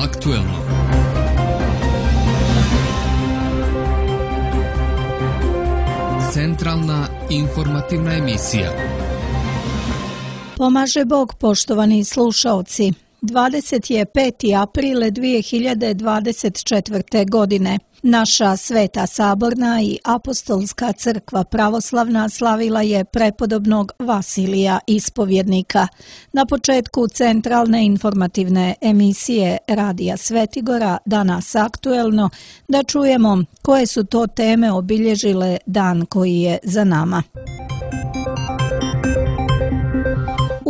aktuelno. Centralna informativna emisija. Pomaže Bog, poštovani slušaoci. 25. april 2024. godine. Naša Sveta Saborna i Apostolska crkva pravoslavna slavila je prepodobnog Vasilija Ispovjednika. Na početku centralne informativne emisije Radija Svetigora, danas aktuelno, da čujemo koje su to teme obilježile dan koji je za nama.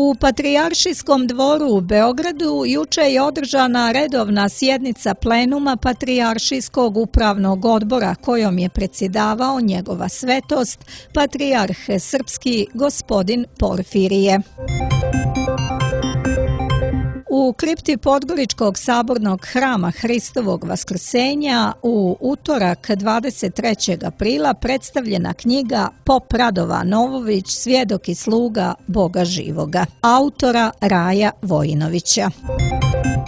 U Patrijaršijskom dvoru u Beogradu juče je održana redovna sjednica plenuma Patrijaršijskog upravnog odbora kojom je predsjedavao njegova svetost, patrijarh srpski gospodin Porfirije. U kripti Podgoričkog sabornog hrama Hristovog Vaskrsenja u utorak 23. aprila predstavljena knjiga Pop Radovan Novović, svjedok i sluga Boga živoga, autora Raja Vojinovića.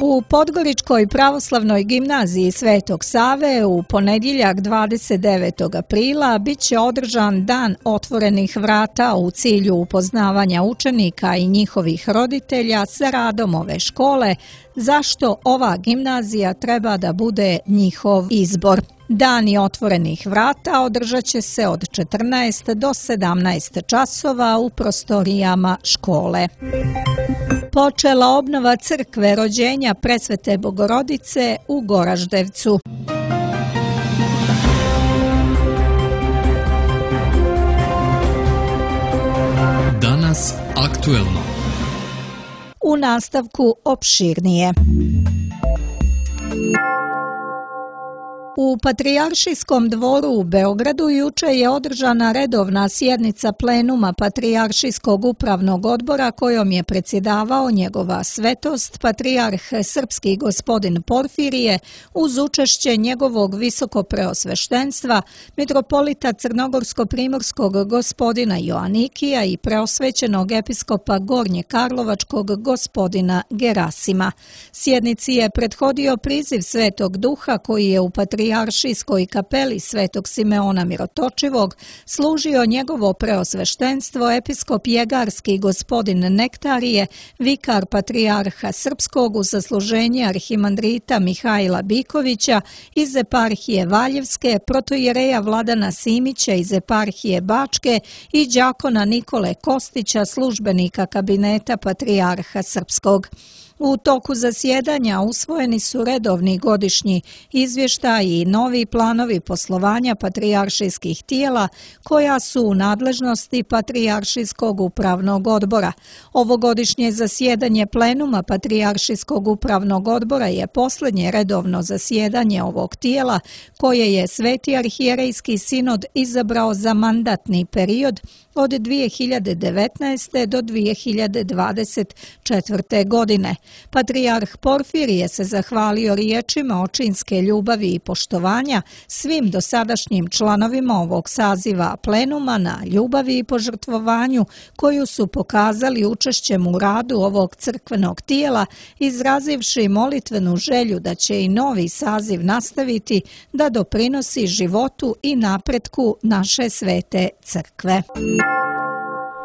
U Podgoričkoj pravoslavnoj gimnaziji Svetog Save u ponedjeljak 29. aprila bit će održan dan otvorenih vrata u cilju upoznavanja učenika i njihovih roditelja sa radom ove škole, zašto ova gimnazija treba da bude njihov izbor. Dani otvorenih vrata održat će se od 14 do 17 časova u prostorijama škole. Počela obnova crkve rođenja Presvete Bogorodice u Goraždevcu. Danas aktuelno. U nastavku opširnije. U Patrijaršijskom dvoru u Beogradu juče je održana redovna sjednica plenuma Patrijaršijskog upravnog odbora kojom je predsjedavao njegova svetost, patrijarh srpski gospodin Porfirije, uz učešće njegovog visokopreosveštenstva, mitropolita Crnogorsko-primorskog gospodina Joanikija i preosvećenog episkopa Gornje-Karlovačkog gospodina Gerasima. Sjednici je prethodio priziv Svetog Duha koji je u Patrijaršijskoj kapeli Svetog Simeona Mirotočivog služio njegovo preosveštenstvo episkop Jegarski gospodin Nektarije, vikar patrijarha srpskog u sasluženje arhimandrita Mihajla Bikovića iz eparhije Valjevske, protojereja Vladana Simića iz eparhije Bačke i đakona Nikole Kostića, službenika kabineta patrijarha srpskog. U toku zasjedanja usvojeni su redovni godišnji izvještaji i novi planovi poslovanja patrijaršijskih tijela koja su u nadležnosti Patrijaršijskog upravnog odbora. Ovogodišnje zasjedanje plenuma Patrijaršijskog upravnog odbora je posljednje redovno zasjedanje ovog tijela koje je Sveti arhijerejski sinod izabrao za mandatni period od 2019. do 2024. godine. Patrijarh Porfirije se zahvalio riječima očinske ljubavi i poštovanja svim dosadašnjim članovima ovog saziva plenuma na ljubavi i požrtvovanju koju su pokazali učešćem u radu ovog crkvenog tijela, izrazivši molitvenu želju da će i novi saziv nastaviti da doprinosi životu i napretku naše svete crkve.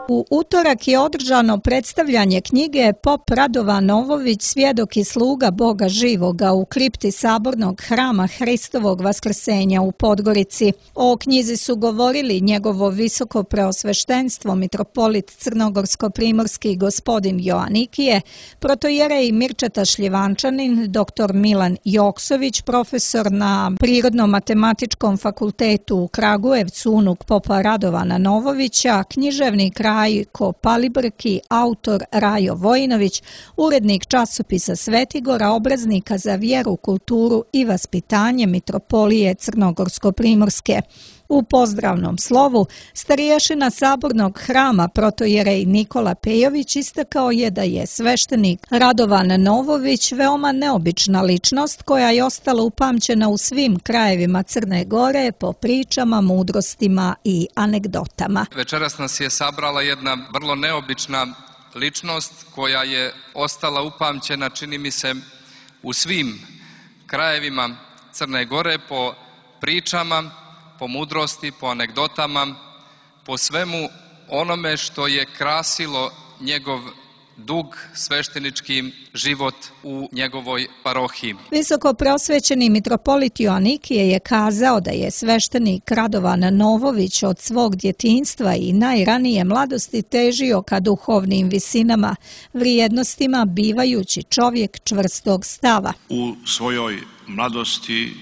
U utorak je održano predstavljanje knjige Pop Radovan Novović, svjedok i sluga Boga živoga u kripti sabornog hrama Hristovog Vaskrsenja u Podgorici. O knjizi su govorili njegovo visoko preosveštenstvo mitropolit Crnogorsko-primorski gospodin Joanikije, protojerej Mirčeta Šljivančanin, dr. Milan Joksović, profesor na Prirodno-matematičkom fakultetu u Kragujevcu, unuk Popa Radovana Novovića, književnik Rajko Palibrki, autor Rajo Vojinović, urednik časopisa Svetigora, obraznika za vjeru, kulturu i vaspitanje mitropolije Crnogorsko-primorske. U pozdravnom slovu stariješina sabornog hrama protojerej Nikola Pejović istakao je da je sveštenik Radovan Novović veoma neobična ličnost koja je ostala upamćena u svim krajevima Crne Gore po pričama, mudrostima i anegdotama. Večeras nas je sabrala jedna vrlo neobična ličnost koja je ostala upamćena, čini mi se, u svim krajevima Crne Gore po pričama, po mudrosti, po anegdotama, po svemu onome što je krasilo njegov dug sveštenički život u njegovoj parohiji. Visoko prosvećeni mitropolit Joanikije je kazao da je sveštenik Radovan Novović od svog djetinjstva i najranije mladosti težio ka duhovnim visinama, vrijednostima, bivajući čovjek čvrstog stava. U svojoj mladosti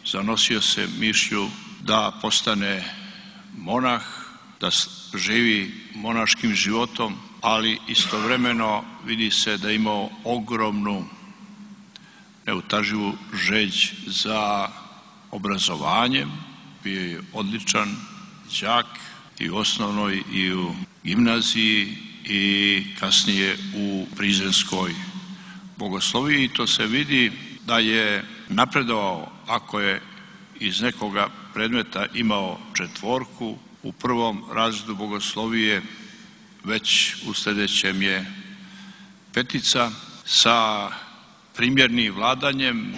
zanosio se mišlju da postane monah, da živi monaškim životom, ali istovremeno vidi se da je imao ogromnu neutaživu žeđ za obrazovanjem. Bio je odličan đak i u osnovnoj i u gimnaziji i kasnije u Prizrenskoj bogosloviji. To se vidi da je napredovao, ako je iz nekoga predmeta imao 4, u prvom razredu bogoslovije, već u sljedećem je 5 sa primjernim vladanjem.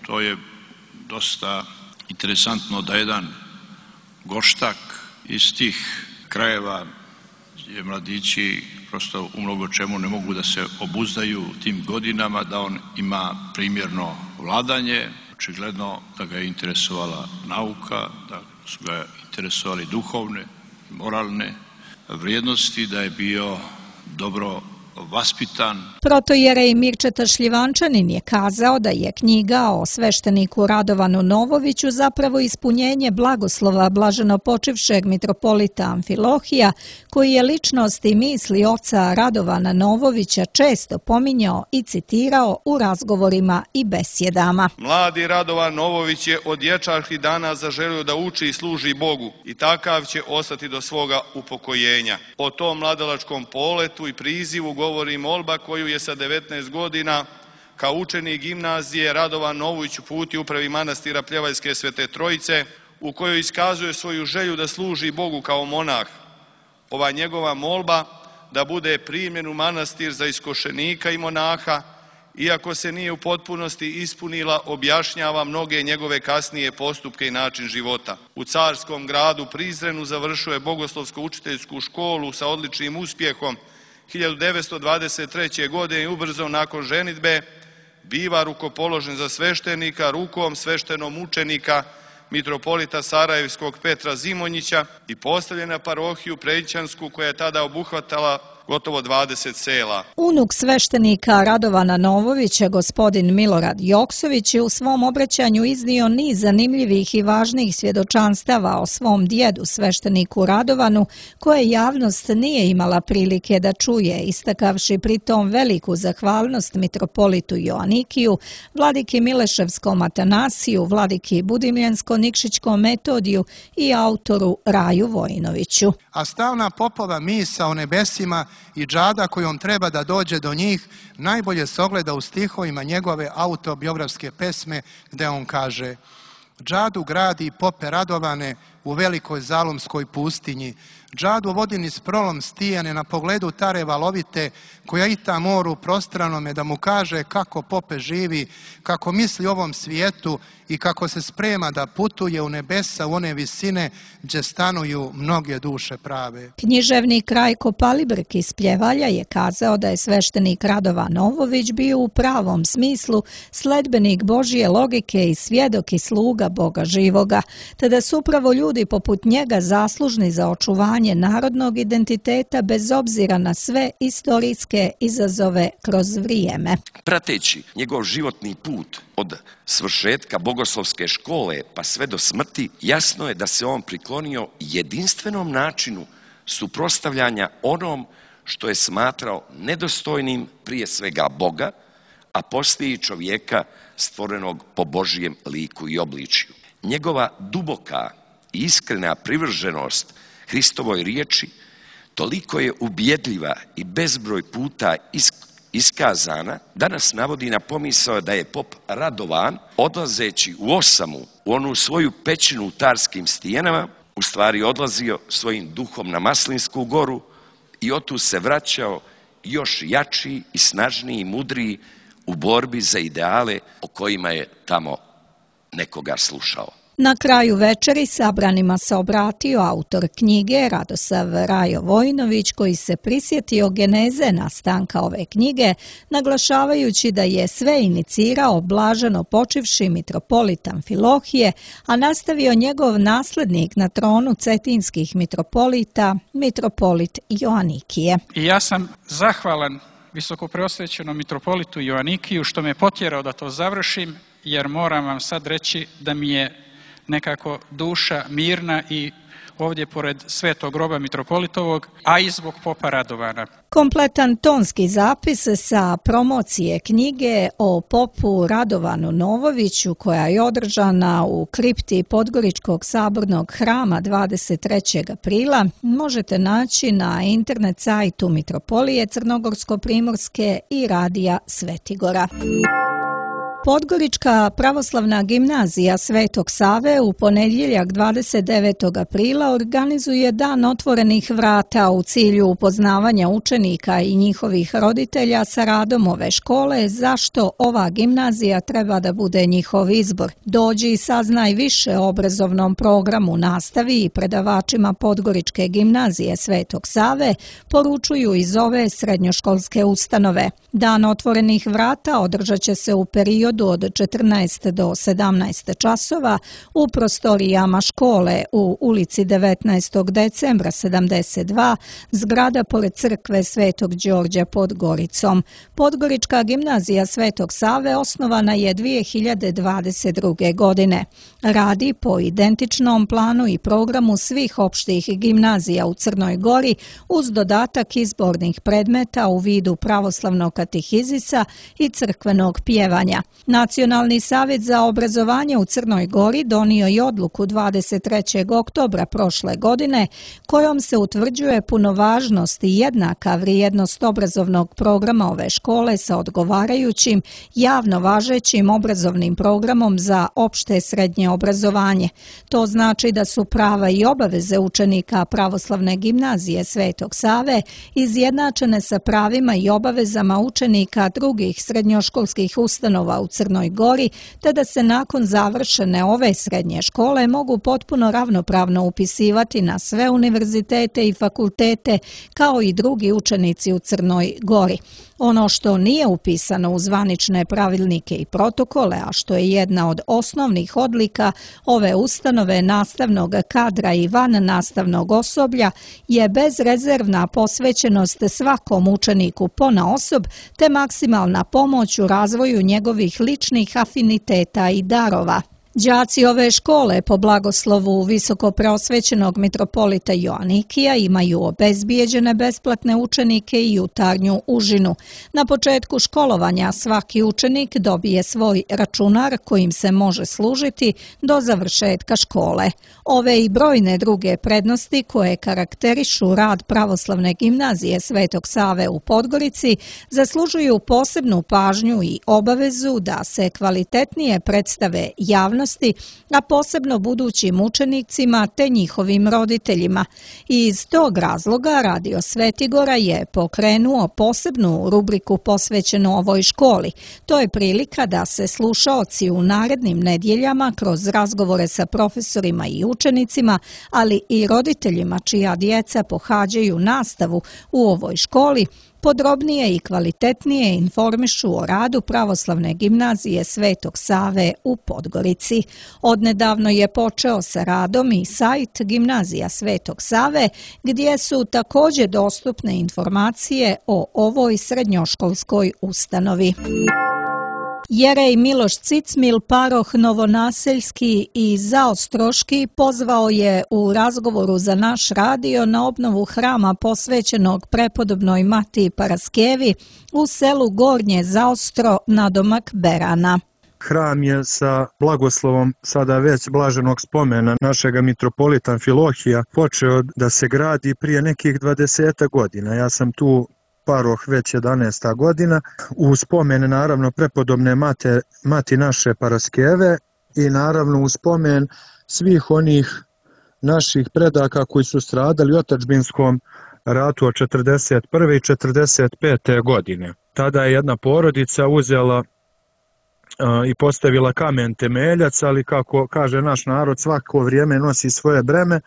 To je dosta interesantno da jedan Goštak iz tih krajeva gdje mladići prosto u mnogo čemu ne mogu da se obuzdaju tim godinama, da on ima primjerno vladanje. Očigledno da ga je interesovala nauka, da su ga interesovali duhovne, moralne vrijednosti, da je bio dobro vaspitan. Protojerej Mirčeta Šljivančanin je kazao da je knjiga o svešteniku Radovanu Novoviću zapravo ispunjenje blagoslova blaženopočivšeg mitropolita Amfilohija, koji je ličnost i misli oca Radovana Novovića često pominjao i citirao u razgovorima i besjedama. Mladi Radovan Novović je od dječačkih dana zaželio da uči i služi Bogu i takav će ostati do svoga upokojenja. O tom mladalačkom poletu i prizivu govori molba koju je sa 19 godina kao učenik gimnazije Radovan Novović uputio upravi manastira Pljevajske Svete Trojice, u kojoj iskazuje svoju želju da služi Bogu kao monah. Ova njegova molba da bude primljen u manastir za iskošenika i monaha, iako se nije u potpunosti ispunila, objašnjava mnoge njegove kasnije postupke i način života. U carskom gradu Prizrenu završio je bogoslovsko-učiteljsku školu sa odličnim uspjehom. 1923. godine i ubrzo nakon ženidbe biva rukopoložen za sveštenika rukom sveštenom učenika mitropolita Sarajevskog Petra Zimonjića i postavljen na parohiju Prećansku, koja je tada obuhvatala gotovo 20 sela. Unuk sveštenika Radovana Novovića, gospodin Milorad Joksović, je u svom obraćanju iznio niz zanimljivih i važnih svjedočanstava o svom djedu, svešteniku Radovanu, koje javnost nije imala prilike da čuje, istakavši pritom veliku zahvalnost mitropolitu Joanikiju, vladiki Mileševskom Atanasiju, vladiki Budimljensko-Nikšićkom Metodiju i autoru Raju Vojinoviću. A stavna popova misa o nebesima i džada kojom treba da dođe do njih najbolje se ogleda u stihovima njegove autobiografske pesme, gde on kaže: džadu gradi pope Radovane u velikoj zalumskoj pustinji, džadu vodi niz prolom Stijane na pogledu tare valovite, koja ita moru prostranome, da mu kaže kako pope živi, kako misli o ovom svijetu i kako se sprema da putuje u nebesa, u one visine gdje stanuju mnoge duše prave. Književnik Rajko Palibrk iz Pljevalja je kazao da je sveštenik Radovan Novović bio u pravom smislu sledbenik Božje logike i svjedok i sluga Boga živoga, te da su upravo ljudi poput njega zaslužni za očuvanje narodnog identiteta bez obzira na sve istorijske izazove kroz vrijeme. Prateći njegov životni put od svršetka bogoslovske škole pa sve do smrti, jasno je da se on priklonio jedinstvenom načinu suprotstavljanja onom što je smatrao nedostojnim prije svega Boga, a poslije i čovjeka stvorenog po Božijem liku i obličju. Njegova duboka i iskrena privrženost Hristovoj riječi toliko je ubjedljiva i bezbroj puta iskazana da nas navodi na pomisao da je pop Radovan, odlazeći u Osamu, u onu svoju pećinu u Tarskim stijenama, u stvari odlazio svojim duhom na Maslinsku goru i otu se vraćao još jači i snažniji i mudriji u borbi za ideale o kojima je tamo nekoga slušao. Na kraju večeri sabranima se obratio autor knjige Radosav Rajo Vojnović, koji se prisjetio geneze nastanka ove knjige, naglašavajući da je sve inicirao blaženo počivši mitropolit Amfilohije, a nastavio njegov naslednik na tronu cetinskih mitropolita, mitropolit Joanikije. I ja sam zahvalan visokopreosvećenom mitropolitu Joanikiju što me potjerao da to završim, jer moram vam sad reći da mi je nekako duša mirna i ovdje pored Svetog groba mitropolitovog, a i zbog popa Radovana. Kompletan tonski zapis sa promocije knjige o popu Radovanu Novoviću, koja je održana u kripti Podgoričkog sabornog hrama 23. aprila, možete naći na internet sajtu Mitropolije Crnogorsko-Primorske i Radija Svetigora. Podgorička pravoslavna gimnazija Svetog Save u ponedjeljak 29. aprila organizuje Dan otvorenih vrata u cilju upoznavanja učenika i njihovih roditelja sa radom ove škole, zašto ova gimnazija treba da bude njihov izbor. Dođi i saznaj više o obrazovnom programu, nastavi i predavačima Podgoričke gimnazije Svetog Save, poručuju iz ove srednjoškolske ustanove. Dan otvorenih vrata održat će se u periodu od 14 do 17 časova u prostorijama škole u ulici 19. decembra 72, zgrada pored crkve Svetog Đorđa pod Goricom. Podgorička gimnazija Svetog Save osnovana je 2022. godine. Radi po identičnom planu i programu svih opštih gimnazija u Crnoj Gori uz dodatak izbornih predmeta u vidu pravoslavnog katehizisa i crkvenog pjevanja. Nacionalni savjet za obrazovanje u Crnoj Gori donio je odluku 23. oktobra prošle godine kojom se utvrđuje punovažnost i jednaka vrijednost obrazovnog programa ove škole sa odgovarajućim javno važećim obrazovnim programom za opšte srednje obrazovanje. To znači da su prava i obaveze učenika pravoslavne gimnazije Svetog Save izjednačene sa pravima i obavezama učenika drugih srednjoškolskih ustanova u Crnoj Gori, te da se nakon završene ove srednje škole mogu potpuno ravnopravno upisivati na sve univerzitete i fakultete kao i drugi učenici u Crnoj Gori. Ono što nije upisano u zvanične pravilnike i protokole, a što je jedna od osnovnih odlika ove ustanove nastavnog kadra i van nastavnog osoblja, je bezrezervna posvećenost svakom učeniku ponaosob te maksimalna pomoć u razvoju njegovih ličnih afiniteta i darova. Đaci ove škole po blagoslovu visokopreosvećenog mitropolita Joanikija imaju obezbijeđene besplatne učenike i jutarnju užinu. Na početku školovanja svaki učenik dobije svoj računar kojim se može služiti do završetka škole. Ove i brojne druge prednosti koje karakterišu rad pravoslavne gimnazije Svetog Save u Podgorici zaslužuju posebnu pažnju i obavezu da se kvalitetnije predstave javnosti, a posebno budućim učenicima te njihovim roditeljima. I iz tog razloga Radio Svetigora je pokrenuo posebnu rubriku posvećenu ovoj školi. To je prilika da se slušaoci u narednim nedjeljama kroz razgovore sa profesorima i učenicima, ali i roditeljima čija djeca pohađaju nastavu u ovoj školi, podrobnije i kvalitetnije informišu o radu pravoslavne gimnazije Svetog Save u Podgorici. Odnedavno je počeo sa radom i sajt Gimnazija Svetog Save, gdje su također dostupne informacije o ovoj srednjoškolskoj ustanovi. Jerej Miloš Cicmil, paroh Novonaseljski i Zaostroški, pozvao je u razgovoru za naš radio na obnovu hrama posvećenog prepodobnoj Matiji Paraskevi u selu Gornje Zaostro nadomak Berana. Hram je sa blagoslovom sada već blaženog spomena našega mitropolita Amfilohija počeo da se gradi prije nekih 20 godina. Ja sam tu paroh već 11. godina, u spomen naravno prepodobne mati naše Paraskeve i naravno u spomen svih onih naših predaka koji su stradali u otadžbinskom ratu od 41. i 45. godine. Tada je jedna porodica uzela i postavila kamen temeljac, ali kako kaže naš narod, svako vrijeme nosi svoje breme.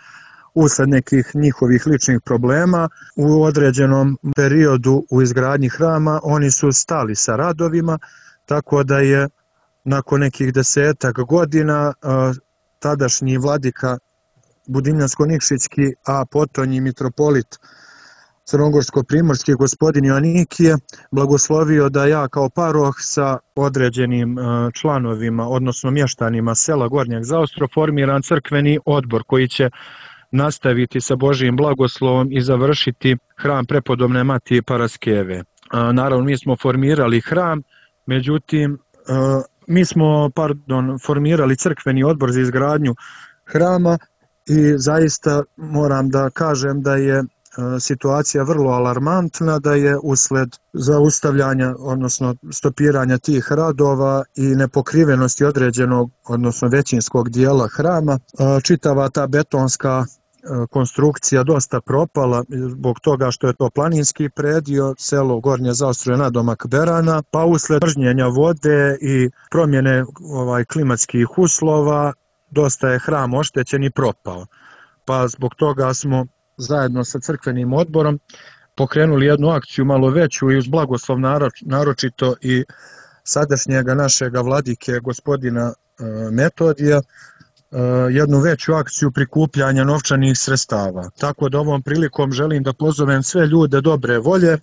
Usled nekih njihovih ličnih problema u određenom periodu u izgradnji hrama oni su stali sa radovima, tako da je nakon nekih 10 godina tadašnji vladika Budimljansko-Nikšićki, a potom i mitropolit Crnogorsko-Primorski gospodin Joanikije blagoslovio da ja kao paroh sa određenim članovima, odnosno mještanima sela Gornjeg Zaostro, formiram crkveni odbor koji će nastaviti sa Božijim blagoslovom i završiti hram prepodobne Matije Paraskeve. Naravno, mi smo formirali hram, međutim, formirali crkveni odbor za izgradnju hrama i zaista moram da kažem da je situacija vrlo alarmantna, da je usled zaustavljanja, odnosno stopiranja tih radova i nepokrivenosti određenog, odnosno većinskog dijela hrama, čitava ta betonska konstrukcija dosta propala zbog toga što je to planinski predio, selo Gornje Zaostro je nadomak Berana, pa usled pržnjenja vode i promjene klimatskih uslova dosta je hram oštećen i propao. Pa zbog toga smo zajedno sa crkvenim odborom pokrenuli jednu akciju malo veću i uz blagoslov naročito i sadašnjega našega vladike gospodina Metodija, jednu veću akciju prikupljanja novčanih sredstava. Tako da ovom prilikom želim da pozovem sve ljude dobre volje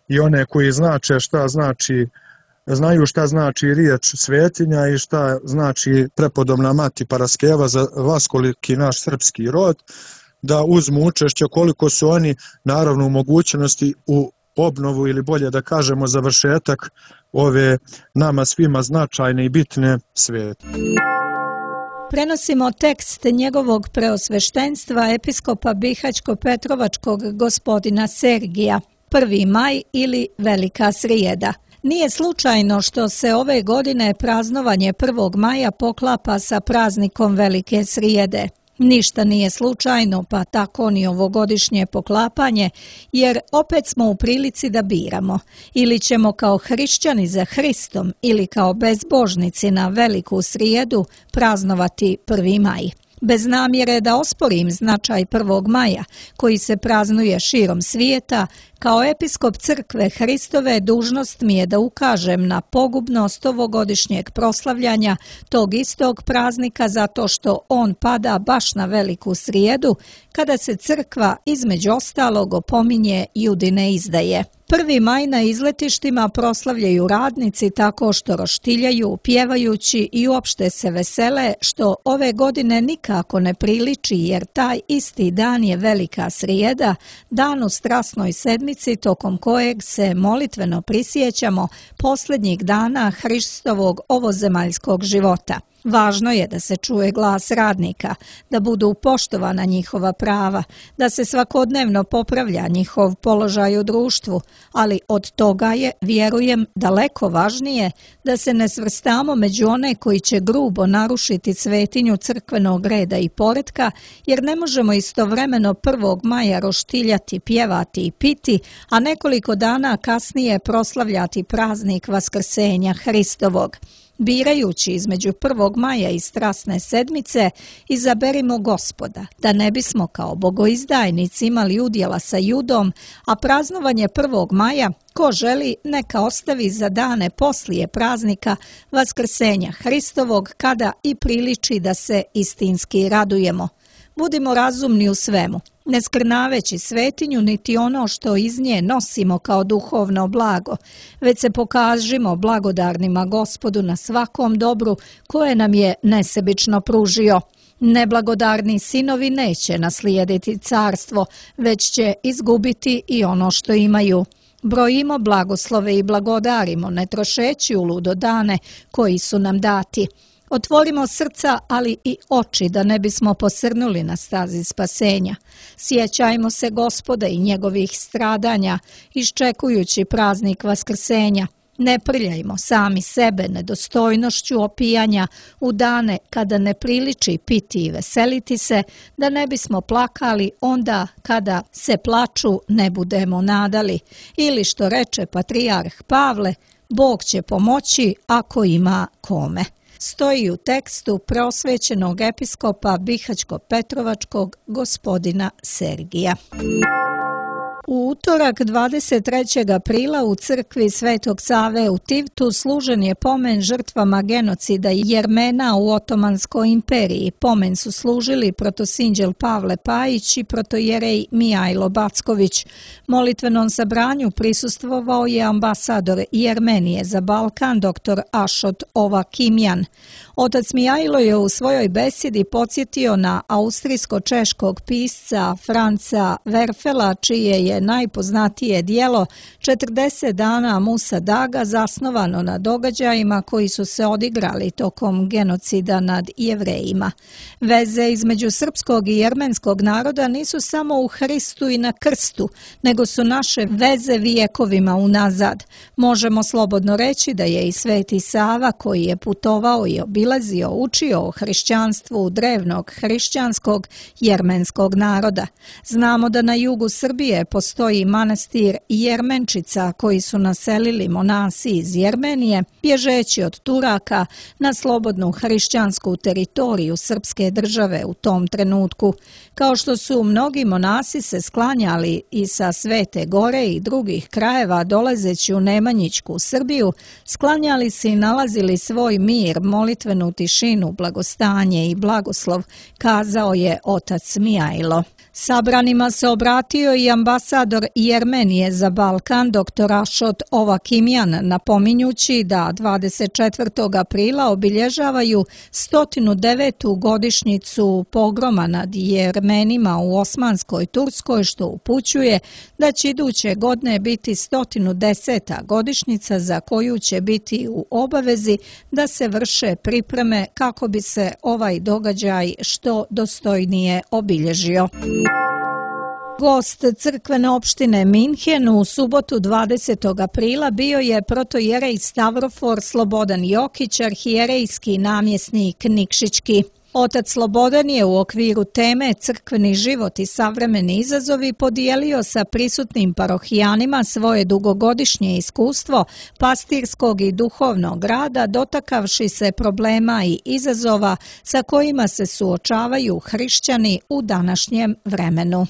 i one koji znaju šta znači riječ svetinja i šta znači prepodobna Mati Paraskeva za vaskoliki naš srpski rod, da uzmu učešće koliko su oni naravno u mogućnosti u obnovu ili bolje da kažemo završetak ove nama svima značajne i bitne svete. Prenosimo tekst njegovog preosveštenstva episkopa Bihaćko-Petrovačkog gospodina Sergija, 1. maj ili Velika srijeda. Nije slučajno što se ove godine praznovanje 1. maja poklapa sa praznikom Velike srijede. Ništa nije slučajno, pa tako ni ovogodišnje poklapanje, jer opet smo u prilici da biramo. Ili ćemo kao hrišćani za Hristom ili kao bezbožnici na Veliku srijedu praznovati 1. maj. Bez namjere da osporim značaj 1. maja, koji se praznuje širom svijeta, kao episkop crkve Hristove dužnost mi je da ukažem na pogubnost ovogodišnjeg proslavljanja tog istog praznika zato što on pada baš na Veliku srijedu, kada se crkva između ostalog opominje Judine izdaje. 1. maj na izletištima proslavljaju radnici tako što roštiljaju, pjevajući i uopšte se vesele, što ove godine nikako ne priliči jer taj isti dan je Velika srijeda, dan u Strasnoj sedmici tokom kojeg se molitveno prisjećamo posljednjih dana Hristovog ovozemaljskog života. Važno je da se čuje glas radnika, da budu poštovana njihova prava, da se svakodnevno popravlja njihov položaj u društvu, ali od toga je, vjerujem, daleko važnije da se ne svrstamo među one koji će grubo narušiti svetinju crkvenog reda i poretka, jer ne možemo istovremeno 1. maja roštiljati, pjevati i piti, a nekoliko dana kasnije proslavljati praznik Vaskrsenja Hristovog. Birajući između 1. maja i Strasne sedmice, izaberimo Gospoda, da ne bismo kao bogoizdajnici imali udjela sa Judom, a praznovanje 1. maja, ko želi, neka ostavi za dane poslije praznika Vaskrsenja Hristovog, kada i priliči da se istinski radujemo. Budimo razumni u svemu, ne skrnaveći svetinju niti ono što iz nje nosimo kao duhovno blago, već se pokažimo blagodarnima Gospodu na svakom dobru koje nam je nesebično pružio. Neblagodarni sinovi neće naslijediti carstvo, već će izgubiti i ono što imaju. Brojimo blagoslove i blagodarimo, ne trošeći uludo dane koji su nam dati. Otvorimo srca, ali i oči, da ne bismo posrnuli na stazi spasenja. Sjećajmo se Gospoda i njegovih stradanja, iščekujući praznik Vaskrsenja. Ne prljajmo sami sebe nedostojnošću opijanja u dane kada ne priliči piti i veseliti se, da ne bismo plakali onda kada se plaču ne budemo nadali. Ili što reče patrijarh Pavle, Bog će pomoći ako ima kome. Stoji u tekstu prosvećenog episkopa Bihaćko-Petrovačkog gospodina Sergija. U utorak 23. aprila u crkvi Svetog Save u Tivtu služen je pomen žrtvama genocida Jermena u Otomanskoj imperiji. Pomen su služili protosinđel Pavle Pajić i protojerej Mijajlo Backović. Molitvenom sabranju prisustvovao je ambasador Jermenije za Balkan dr. Ašot Ovakimjan. Otac Mijajlo je u svojoj besjedi podsjetio na austrijsko-češkog pisca Franca Werfela, čije je najpoznatije dijelo 40 dana Musa Daga zasnovano na događajima koji su se odigrali tokom genocida nad Jevrejima. Veze između srpskog i jermenskog naroda nisu samo u Hristu i na krstu, nego su naše veze vijekovima unazad. Možemo slobodno reći da je i Sveti Sava, koji je putovao i obilazio, učio o hrišćanstvu drevnog hrišćanskog jermenskog naroda. Znamo da na jugu Srbije postoji manastir Jermenčica koji su naselili monasi iz Jermenije, bježeći od Turaka na slobodnu hrišćansku teritoriju srpske države u tom trenutku. Kao što su mnogi monasi se sklanjali i sa Svete Gore i drugih krajeva dolazeći u Nemanjićku Srbiju, sklanjali se i nalazili svoj mir, molitvenu tišinu, blagostanje i blagoslov, kazao je otac Mijajlo. Sabranima se obratio i ambasador Jermenije za Balkan dr. Ašot Ovakimjan, napominjući da 24. aprila obilježavaju 109. godišnjicu pogroma nad Jermenima u Osmanskoj Turskoj, što upućuje da će iduće godine biti 110. godišnjica za koju će biti u obavezi da se vrše pripreme kako bi se ovaj događaj što dostojnije obilježio. Gost crkvene opštine Minhen u subotu 20. aprila bio je protojerej Stavrofor Slobodan Jokić, arhijerejski namjesnik Nikšićki. Otac Slobodan je u okviru teme Crkveni život i savremeni izazovi podijelio sa prisutnim parohijanima svoje dugogodišnje iskustvo pastirskog i duhovnog rada, dotakavši se problema i izazova sa kojima se suočavaju hrišćani u današnjem vremenu.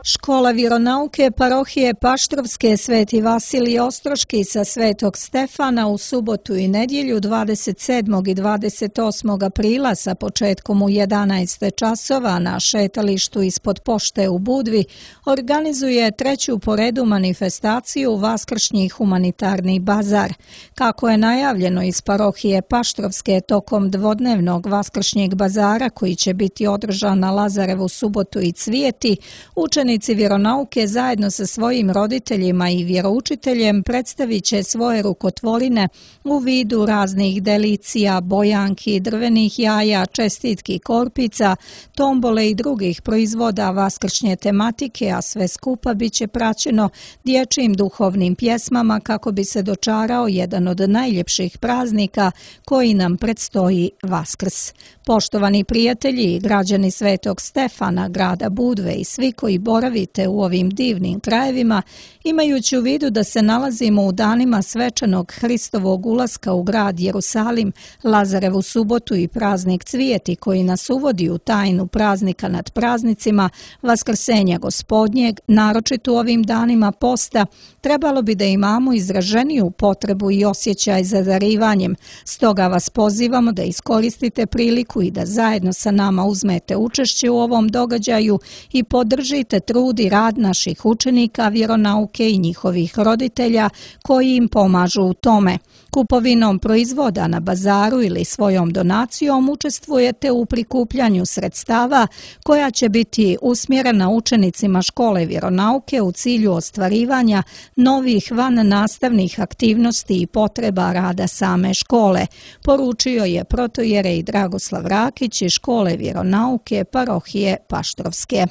Škola vjeronauke parohije Paštrovske Sveti Vasilij Ostroški sa Svetog Stefana u subotu i nedjelju 27. i 28. aprila sa početkom u 11. časova na šetalištu ispod pošte u Budvi organizuje treću po redu manifestaciju Vaskršnji humanitarni bazar. Kako je najavljeno iz parohije Paštrovske tokom dvodnevnog Vaskršnjeg bazara koji će biti održan na Lazarevu subotu i Cvijeti, učenici vjeronauke zajedno sa svojim roditeljima i vjeroučiteljem predstavit će svoje rukotvorine u vidu raznih delicija, bojanki, drvenih jaja, čestitki korpica, tombole i drugih proizvoda vaskršnje tematike, a sve skupa bit će praćeno dječjim duhovnim pjesmama kako bi se dočarao jedan od najljepših praznika koji nam predstoji Vaskrs. Poštovani prijatelji i građani Svetog Stefana, grada Budve i svi koji boravite u ovim divnim krajevima, imajući u vidu da se nalazimo u danima svečanog Hristovog ulaska u grad Jerusalim, Lazarevu subotu i praznik Cvijeti koji nas uvodi u tajnu praznika nad praznicima, Vaskrsenja Gospodnjeg, naročito u ovim danima posta, trebalo bi da imamo izraženiju potrebu i osjećaj za darivanjem. Stoga vas pozivamo da iskoristite priliku i da zajedno sa nama uzmete učešće u ovom događaju i podržite trud i rad naših učenika vjeronauke i njihovih roditelja koji im pomažu u tome. Kupovinom proizvoda na bazaru ili svojom donacijom učestvujete u prikupljanju sredstava koja će biti usmjerena učenicima škole vjeronauke u cilju ostvarivanja novih vannastavnih aktivnosti i potreba rada same škole, poručio je protojerej Dragoslav Rakić iz škole vjeronauke parohije Paštrovske.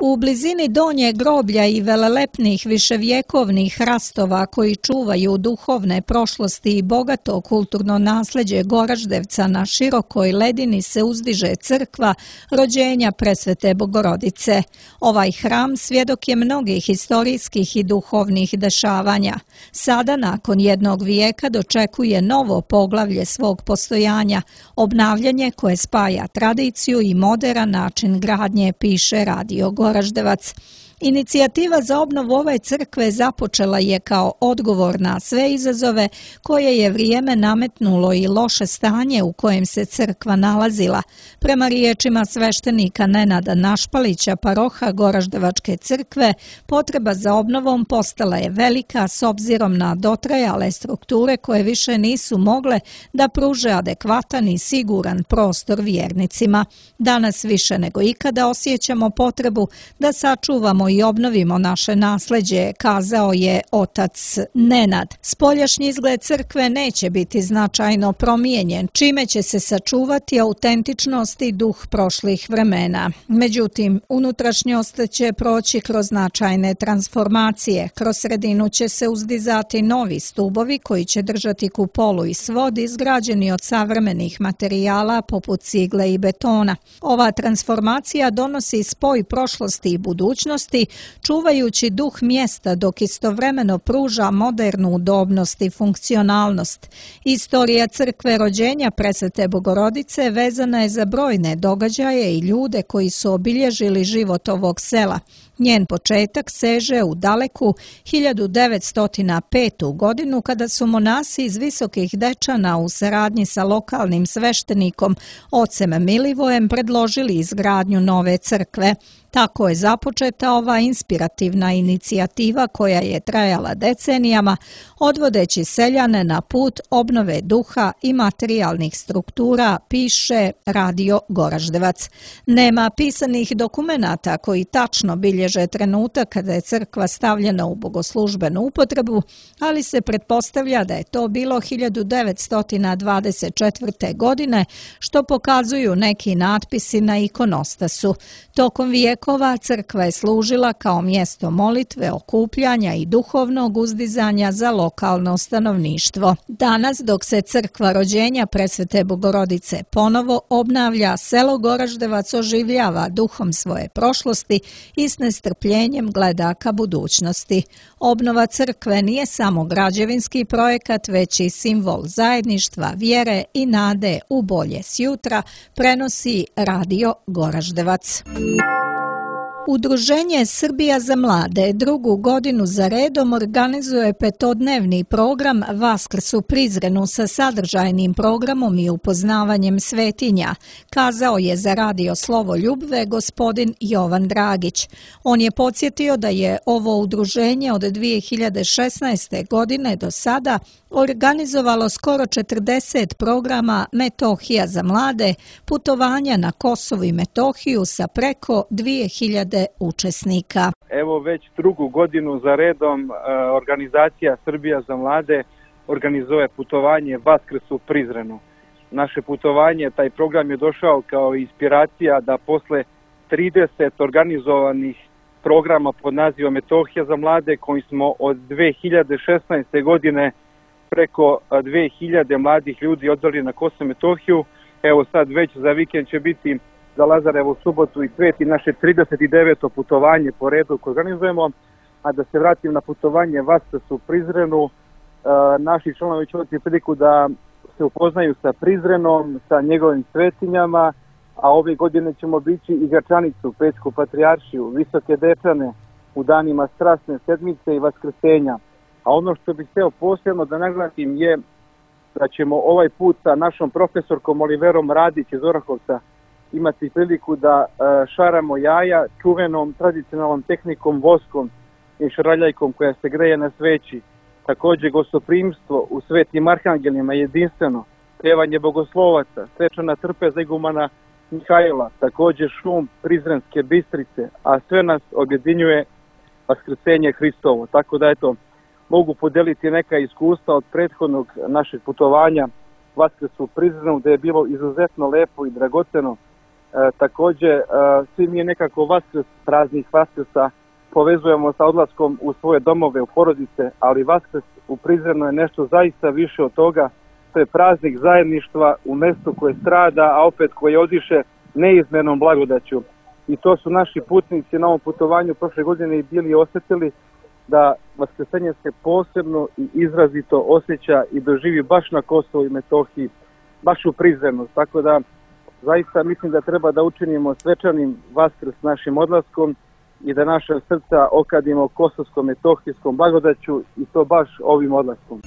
U blizini Donje groblja i velelepnih viševjekovnih hrastova koji čuvaju duhovne prošlosti i bogato kulturno nasleđe Goraždevca na širokoj ledini se uzdiže crkva rođenja Presvete Bogorodice. Ovaj hram svjedok je mnogih historijskih i duhovnih dešavanja. Sada, nakon jednog vijeka, dočekuje novo poglavlje svog postojanja, obnavljanje koje spaja tradiciju i moderan način gradnje, piše Radio Goraždevac. Inicijativa za obnovu ove crkve započela je kao odgovor na sve izazove koje je vrijeme nametnulo i loše stanje u kojem se crkva nalazila. Prema riječima sveštenika Nenada Našpalića, paroha Goraždevačke crkve, potreba za obnovom postala je velika s obzirom na dotrajale strukture koje više nisu mogle da pruže adekvatan i siguran prostor vjernicima. Danas više nego ikada osjećamo potrebu da sačuvamo i obnovimo naše nasleđe, kazao je otac Nenad. Spoljašnji izgled crkve neće biti značajno promijenjen, čime će se sačuvati autentičnost i duh prošlih vremena. Međutim, unutrašnjost će proći kroz značajne transformacije. Kroz sredinu će se uzdizati novi stubovi koji će držati kupolu i svod izgrađeni od savremenih materijala poput cigle i betona. Ova transformacija donosi spoj prošlosti i budućnosti, čuvajući duh mjesta dok istovremeno pruža modernu udobnost i funkcionalnost. Istorija crkve rođenja Presvete Bogorodice vezana je za brojne događaje i ljude koji su obilježili život ovog sela. Njen početak seže u daleku 1905. godinu kada su monasi iz Visokih Dečana u saradnji sa lokalnim sveštenikom ocem Milivojem predložili izgradnju nove crkve. Tako je započeta ova inspirativna inicijativa koja je trajala decenijama, odvodeći seljane na put obnove duha i materijalnih struktura, piše Radio Goraždevac. Nema pisanih dokumenata koji tačno bilježe trenutak kada je crkva stavljena u bogoslužbenu upotrebu, ali se pretpostavlja da je to bilo 1924. godine, što pokazuju neki natpisi na ikonostasu. Tokom vijekova crkva je služila kao mjesto molitve, okupljanja i duhovnog uzdizanja za lokalno stanovništvo. Danas, dok se crkva rođenja Presvete Bogorodice ponovo obnavlja, selo Goraždevac oživljava duhom svoje prošlosti i s nestrpljenjem gleda ka budućnosti. Obnova crkve nije samo građevinski projekat, već i simbol zajedništva, vjere i nade u bolje sjutra, prenosi Radio Goraždevac. Udruženje Srbija za mlade drugu godinu za redom organizuje petodnevni program Vaskrs u Prizrenu sa sadržajnim programom i upoznavanjem svetinja, kazao je za Radio Slovo Ljubve gospodin Jovan Dragić. On je podsjetio da je ovo udruženje od 2016. godine do sada organizovalo skoro 40 programa Metohija za mlade, putovanja na Kosovo i Metohiju sa preko 2000 učesnika. Evo već drugu godinu za redom organizacija Srbija za mlade organizuje putovanje Vaskrs u Prizrenu. Naše putovanje, taj program je došao kao inspiracija da posle 30 organizovanih programa pod nazivom Metohija za mlade, koji smo od 2016. godine preko 2000 mladih ljudi odveli na Kosovo i Metohiju. Evo sad već za vikend će biti za Lazarevu subotu i Sveti naše 39. putovanje po redu koje organizujemo. A da se vratim na putovanje Vaskrs u Prizrenu, naši članovi će imati priliku da se upoznaju sa Prizrenom, sa njegovim svetinjama, a ove godine ćemo bići i Gračanicu, Pećku patrijaršiju, Visoke Dečane u danima Strasne sedmice i Vaskrsenja. A ono što bih htio posebno da naglasim je da ćemo ovaj put sa našom profesorkom Oliverom Radić iz Orahovca imati priliku da šaramo jaja čuvenom tradicionalnom tehnikom voskom i šaraljajkom koja se greje na sveći. Također gostoprimstvo u Svetim Arhangelima jedinstveno, pevanje bogoslovaca, svečana trpeza igumana Mihajla, također šum Prizrenske Bistrice, a sve nas objedinjuje Vaskrsenje Hristovo. Tako da eto, mogu podeliti neka iskustva od prethodnog našeg putovanja Vaskrs u Prizrenu, da je bilo izuzetno lepo i dragoceno. Također, svi mi nekako Vaskrs, praznik Vaskrsa, povezujemo sa odlaskom u svoje domove, u porodice, ali Vaskrs u Prizrenu je nešto zaista više od toga. To je praznik zajedništva u mjestu koje strada, a opet koje odiše neizmjernom blagodaću. I to su naši putnici na ovom putovanju prošle godine i bili osjetili da vaskrsenje se posebno i izrazito osjeća i doživi baš na Kosovu i Metohiji, baš u Prizrenu. Tako da zaista mislim da treba da učinimo svečanim Vaskrs našim odlaskom i da naše srca okadimo kosovsko-metohijskom blagodaću i to baš ovim odlaskom.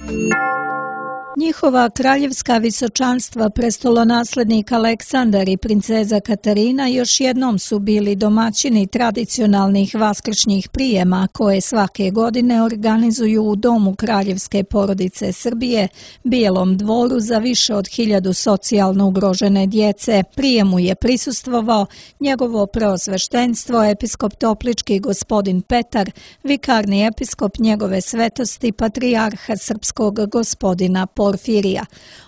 Njihova kraljevska visočanstva prestolonaslednik Aleksandar i princeza Katarina još jednom su bili domaćini tradicionalnih vaskršnjih prijema koje svake godine organizuju u domu kraljevske porodice Srbije, Bijelom dvoru za više od 1000 socijalno ugrožene djece. Prijemu je prisustvovao njegovo preosveštenstvo episkop Toplički gospodin Petar, vikarni episkop njegove svetosti patrijarha srpskog gospodina Porfirija.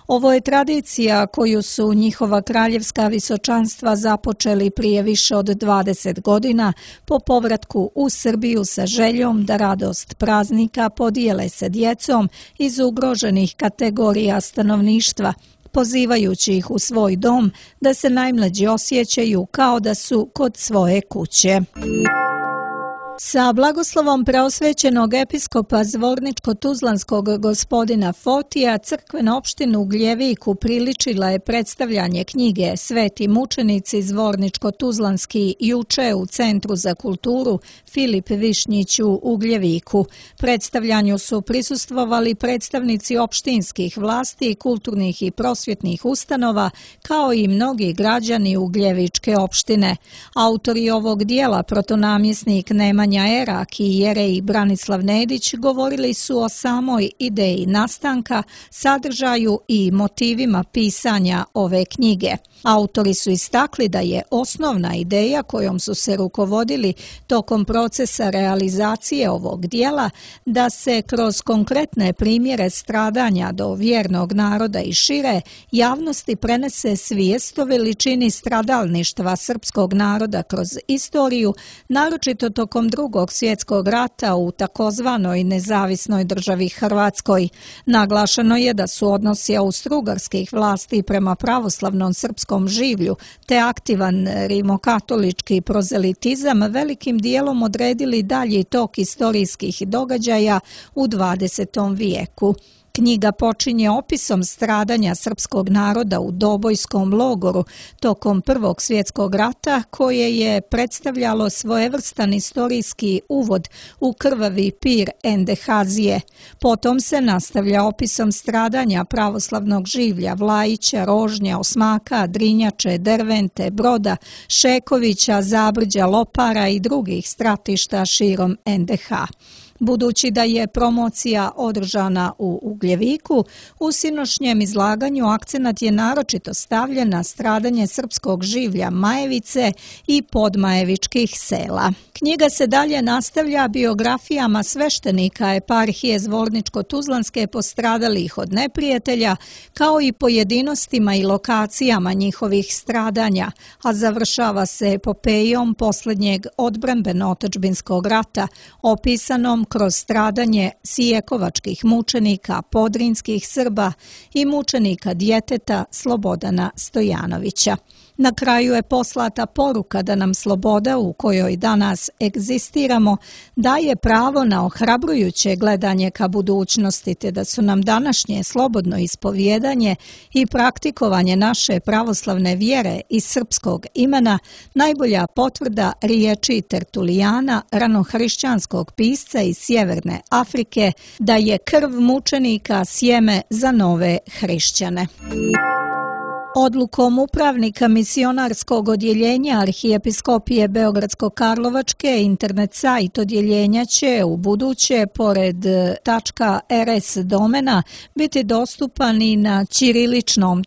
Ovo je tradicija koju su njihova kraljevska visočanstva započeli prije više od 20 godina po povratku u Srbiju sa željom da radost praznika podijele sa djecom iz ugroženih kategorija stanovništva, pozivajući ih u svoj dom da se najmlađi osjećaju kao da su kod svoje kuće. Sa blagoslovom preosvećenog episkopa Zvorničko-Tuzlanskog gospodina Fotija, crkvena opština u Gljevik upriličila je predstavljanje knjige Sveti mučenici Zvorničko-Tuzlanski juče u Centru za kulturu Filip Višnjić u Gljeviku. Predstavljanju su prisustvovali predstavnici opštinskih vlasti, kulturnih i prosvjetnih ustanova, kao i mnogi građani Ugljevičke opštine. Autori ovog dijela, protonamjesnik Nemanja Erak i jerej Branislav Nedić, govorili su o samoj ideji nastanka, sadržaju i motivima pisanja ove knjige. Autori su istakli da je osnovna ideja kojom su se rukovodili tokom procesa realizacije ovog dijela da se kroz konkretne primjere stradanja do vjernog naroda i šire javnosti prenese svijest o veličini stradalništva srpskog naroda kroz istoriju, naročito tokom Drugog svjetskog rata u takozvanoj nezavisnoj državi Hrvatskoj. Naglašeno je da su odnosi austrougarskih vlasti prema pravoslavnom srpskom življu te aktivan rimokatolički prozelitizam velikim dijelom odredili dalji tok istorijskih događaja u 20. vijeku. Knjiga počinje opisom stradanja srpskog naroda u Dobojskom logoru tokom Prvog svjetskog rata, koje je predstavljalo svojevrstan istorijski uvod u krvavi pir Endehazije. Potom se nastavlja opisom stradanja pravoslavnog življa Vlajića, Rožnja, Osmaka, Drinjače, Dervente, Broda, Šekovića, Zabrđa, Lopara i drugih stratišta širom NDH. Budući da je promocija održana u Ugljeviku, u sinošnjem izlaganju akcenat je naročito stavljen na stradanje srpskog življa Majevice i podmajevičkih sela. Knjiga se dalje nastavlja biografijama sveštenika eparhije Zvorničko-Tuzlanske postradalih od neprijatelja, kao i pojedinostima i lokacijama njihovih stradanja, a završava se epopejom posljednjeg odbrambeno-otadžbinskog rata, opisanom kroz stradanje sijekovačkih mučenika, podrinskih Srba i mučenika djeteta Slobodana Stojanovića. Na kraju je poslata poruka da nam sloboda u kojoj danas egzistiramo daje pravo na ohrabrujuće gledanje ka budućnosti, te da su nam današnje slobodno ispovjedanje i praktikovanje naše pravoslavne vjere i srpskog imena najbolja potvrda riječi Tertulijana, ranohrišćanskog pisca iz Sjeverne Afrike, da je krv mučenika sjeme za nove hrišćane. Odlukom upravnika misionarskog odjeljenja Arhijepiskopije Beogradsko-Karlovačke internet sajt odjeljenja će u buduće pored .rs domena biti dostupan i na ćiriličnom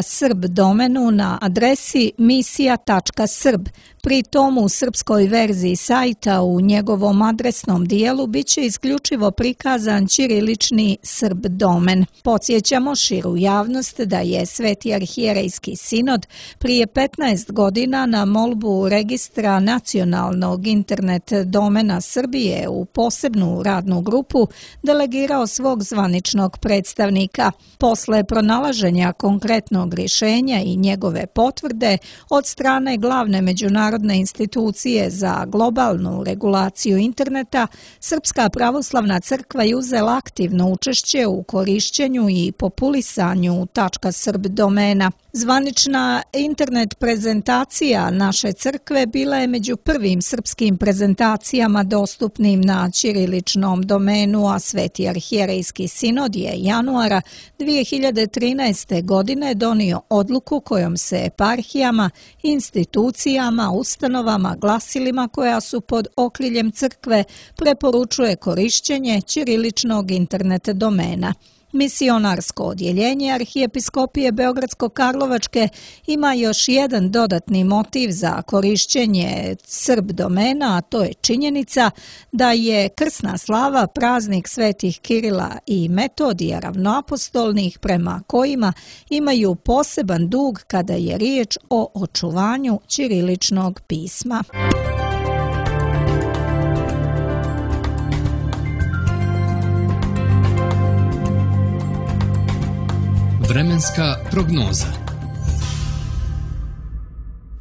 .srb domenu na adresi misija.srb Pri tomu u srpskoj verziji sajta u njegovom adresnom dijelu biće isključivo prikazan ćirilični Srb domen. Podsjećamo širu javnost da je Sveti arhijerejski sinod prije 15 godina na molbu registra nacionalnog internet domena Srbije u posebnu radnu grupu delegirao svog zvaničnog predstavnika. Posle pronalaženja konkretnog rješenja i njegove potvrde od strane glavne međunarodne institucije za globalnu regulaciju interneta, Srpska pravoslavna crkva je uzela aktivno učešće u korišćenju i populisanju .srb domena. Zvanična internet prezentacija naše crkve bila je među prvim srpskim prezentacijama dostupnim na ćiriličnom domenu, a Sveti arhijerejski sinod je januara 2013. godine donio odluku kojom se eparhijama, institucijama, ustanovama, glasilima koja su pod okriljem crkve preporučuje korišćenje ćiriličnog internet domena. Misionarsko odjeljenje Arhijepiskopije Beogradsko-Karlovačke ima još jedan dodatni motiv za korišćenje Srb domena, a to je činjenica da je krsna slava praznik svetih Kirila i Metodija ravnoapostolnih, prema kojima imaju poseban dug kada je riječ o očuvanju ćiriličnog pisma. Vremenska prognoza.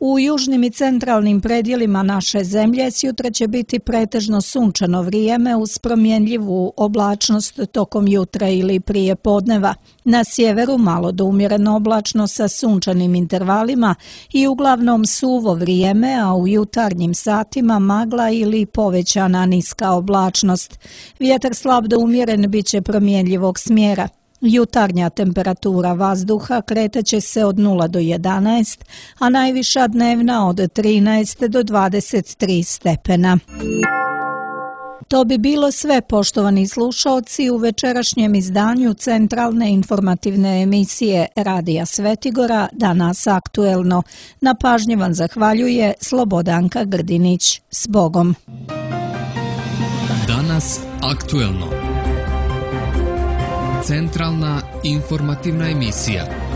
U južnim i centralnim predjelima naše zemlje sjutra će biti pretežno sunčano vrijeme uz promjenljivu oblačnost tokom jutra ili prije podneva. Na sjeveru malo do umjereno oblačno sa sunčanim intervalima i uglavnom suvo vrijeme, a u jutarnjim satima magla ili povećana niska oblačnost. Vjetar slab do umjeren bit će promjenljivog smjera. Jutarnja temperatura vazduha kretaće se od 0 do 11, a najviša dnevna od 13 do 23 stepena. To bi bilo sve, poštovani slušaoci, u večerašnjem izdanju centralne informativne emisije Radija Svetigora Danas aktuelno. Na pažnji vam zahvaljuje Slobodanka Grdinić. S Bogom! Danas aktuelno. Centralna informativna emisija.